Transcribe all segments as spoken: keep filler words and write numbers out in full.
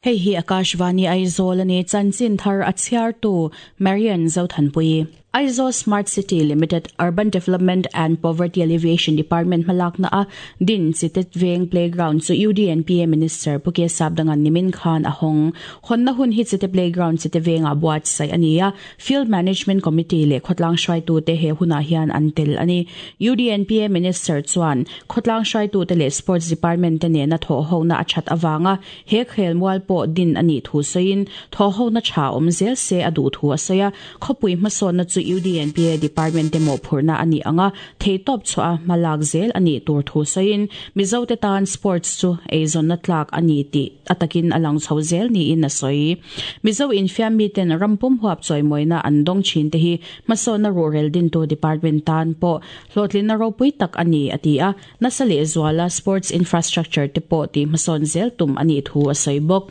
Hei hi Akashvani Aizawl ani chanchin thar a chhiartu Marian Zothanpui. Aizawl Smart City Limited Urban Development and Poverty Alleviation Department hmalakna a din Chite Veng Playground chu U D N P A Minister Pu K Sapdangan nimin khan a hawng. Hawnna hun hi Chite Playground Chite Venga buatsaih ani a. Field Management Committee leh khawtlang hruaitu te he hunah hian an tel ani. U D N P A Minister chuan khawtlang hruaitu te leh Sports Department te nena thaw hona a that awanga he khel mual pawh din ani thu sawiin thaw hona tha awm zel se a duh thu a sawi a. Khawpui hmasawnna chu U D N P A Department te mawhphurhna ani anga theitawp chhuah a hmalak zel ani tur thu sawiin Mizo te tan sports chu eizawnna tlak ani tih atakin a lang chho zel niin a sawi. Mizo infiam mi ten rampum huap chawimawina an dawng thin te hi hmasawnna ruhrel din tu department tan pawh hlawhtlinna ropui tak ani a ti a. Nasa leh zuala sports infrastructure te pawh ti hmasawn zel tum ani thu a sawi bawk.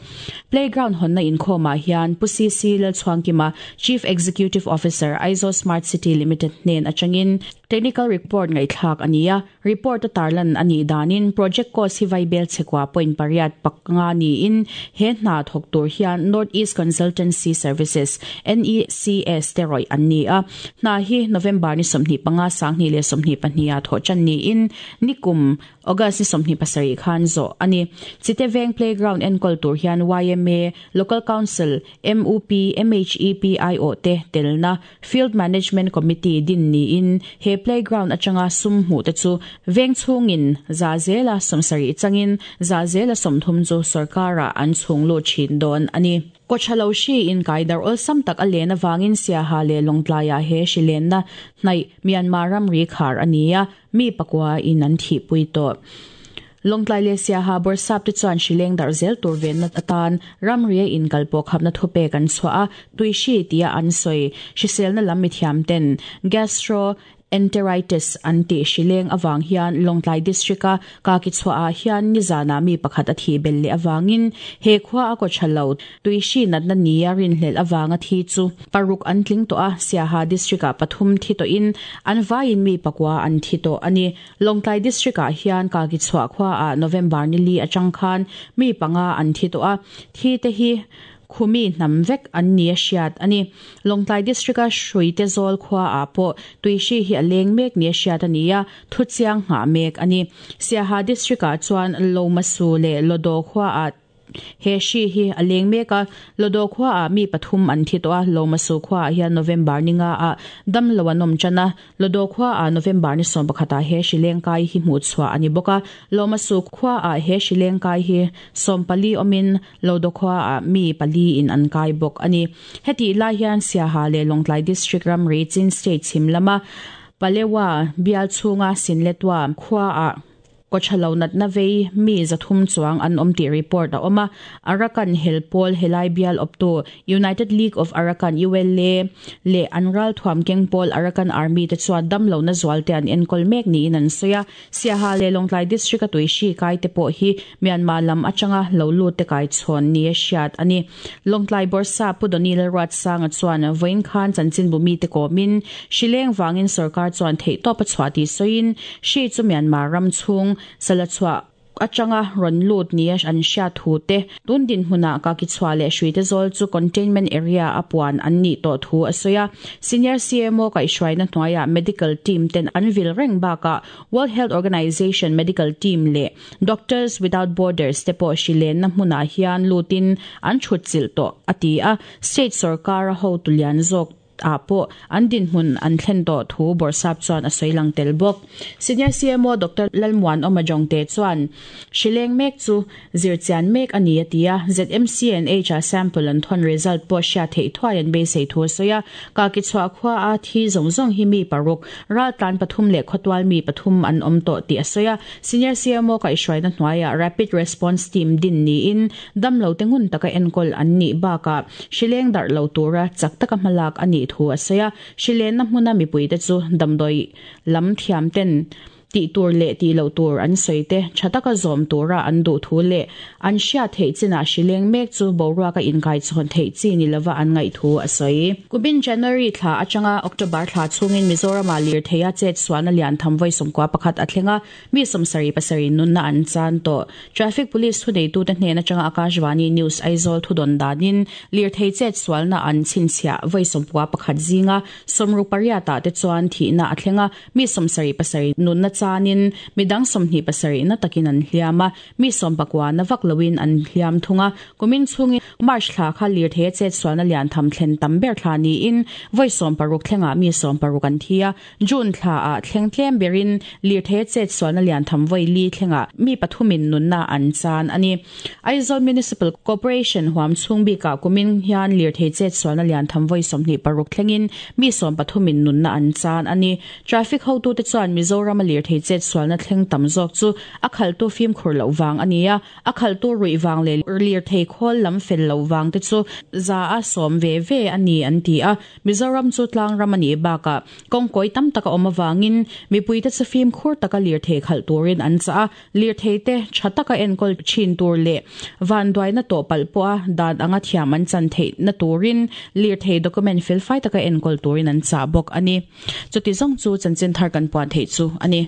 Playground hawnna inkhawmah hian Pu C C Lalchhuangkima Chief Executive Officer Aizawl Smart City Limited hnen atangin technical report ngaihthlak ani a. Report a tarlan ani danin project cost hi vaibel chekwa point pariat paknga ni in he hna thawk tur hian North East Consultancy Services N E C S te rawih an ni a. Hna hi November ni sawmhnih panga sanghnih leh sawmhnih pahnih a thawh chan niin nikum August ni sawmhnih pasarih khan zawh ani. Chite Veng Playground enkawl tur hian Y M A, Local Council, M U P, M H E P I O te telna Field Management Committee din niin he playground atanga sum hmu te chu veng chhungin za zela sawmsarih changin za zela sawmthum chu sarkara an chhung lu thin dawn ani. Kochalo shi in kaidar ol sam tak a len awangin Siaha leh Lawngtlaiah he hri lenna hnaih Myanmar ramri khar ania mi pakua in an thihpui tawh. Lawngtlai leh Siaha bawrhsap te chuan hri leng darh zel tur venna atan ramri a inkal pawh khapna thupek an chhuah a. Tui hri tia an sawi hriselna lam mi thiam ten gastro enteritis an ti hri leng awang hian Lawngtlai district a ka ki chhuah ah hian nizana mi pakhat a thi bel leh awangin he khua a ko thalo tui hri natna ni a rinhlel awanga thi chu paruk an tling to a. Siaha district a pathum thi to in an vaiin mi pakwa an thi to ani. Lawngtlai district ah hian ka ki chhuah khua a November ni li atang khan mi panga an thi to a. Thi te hi khumi hnam vek an ni a hriat ani. Lawngtlai district a Hruite zawl khua ah pawh tui hri hi a leng mek ni a hriat ani a, thu chiang nghah mek ani. Siaha district ah chuan Lomasu leh Lodo khua ah he hri hi a leng mek a. Lodo khua ah mi pathum an thi tawh a. Lomasu khua ah hian November ni nga ah dam lo an awm tan a. Lodo khua ah November ni sawm pakhat ah he hri leng kai hi hmuh chhuah ani bawk a. Lomasu khua ah he hri leng kai hi sawm pali awmin Lodo khua ah mi pali in an kai bawk ani. Heti lai hian Siaha leh Lawngtlai district ramri Chin state chhim lama Palewa bial chhunga Sinletwa khua ah kochalo natna vei mi zathum chuang an awm tih report a awm a. Arakan Helpawl helai bial awptu United League of Arakan U L A leh an ral thuam keng pawl Arakan Army te chuan dam lo na zual te an enkawl mek niin an sawi a. Siaha leh Lawngtlai district a tui hri kai te pawh hi Myanmar lam atanga lo lut te kai chhawn ni a hriat ani. Lawngtlai bawrhsap Pu Donny Lalruatsanga chuan vawiin khan chanchin bu mi te kawmin hri leng wangin sarkar chuan theihtawp a chhuah tih sawiin hri chu Myanmar ram chhung sala chhuah atanga rawn lut ni a an hriat thu te tun din hmunah ka ki chhuah leh Hruite zawl chu containment area a puan an nih tawh thu a sawi a. Senior C M O kaihhruaina hnuaiah medical team ten an vil reng bakah World Health Organization medical team leh Doctors Without Borders te pawh hri lenna hmunah hian lutin an thut chilh tawh a ti a. State sarkar a ho tulian zawk a pawh an din hmun an thlen tawh thu bawrhsap chuan a sawi lang tel bawk. Senior C M O Doctor Lalmuan Awmajong te chuan hri leng mek chu zirchian mek ani a ti a. Z M C N H a sample an thawn result pawh hriat theih thuai an beisei thu a sawi a. Ka ki chhuah khua a thi zawng zawng hi mi paruk ral tlan pathum leh khawtual mi pathum an awm tawh tih a sawi a. Senior C M O kaihhruaina hnuaiah rapid response team din niin dam lo te ngun taka enkawl an nih bakah hri leng darh lo tura chak taka hmalak ani thu a sawi a. Hri lenna hmuna mipui te chu damdawi lam thiam ten Ti tur le ti lo tur an soite thataka zom tura an du thu le an hria thei china shileng mek chu borwa ka inkai chon thei chi ni lova an ngai thu a soi kubin January thla atanga October thla chungin Mizoram a lir theia chet suana lian thamvoi somkwa pakhat athlenga mi somsari pasari nunna an chan to traffic police thu nei tu te hnena changa Akashvani News Aizawl thu don danin lir thei chet sualna an chinchia voi somkwa pakhat zinga somru pariata te chuan thi na athlenga mi somsari pasari nunna chanin midang somhni pasari na takin an hliama mi sompakwa na vaklawin an hliam thunga kumin chungi March thla kha lir the chet sualna lian tham thlen tamber thla ni in voi som paruk thlenga mi som paruk an thia June thla a thleng tlem berin lir the chet sualna lian tham voi li thlenga mi pathumin nunna an chan ani Aizawl Municipal Corporation huam chungbi ka kumin hian lir the chet sualna lian tham voi somhni paruk thlengin mi som pathumin nunna an chan ani traffic ho tu te chuan Mizoram lir the chet sualna thleng tam zawk chu a khal tu fim khur lo wang ania a khal tu rui wang le lir thei khol lam fel lo wang te chu za a som ve ve ani an ti a Mizoram chu tlang ram ani baka kong koi tam taka awm awangin mipui te chu fim khur taka lir thei khal turin an cha lir thei te thataka enkol chin tur le van duai na to pal po a dan anga thiam an chan thei na turin lir thei document fil fai taka enkol turin an cha bok ani chuti zong chu chanchin thar kan puan thei chu ani.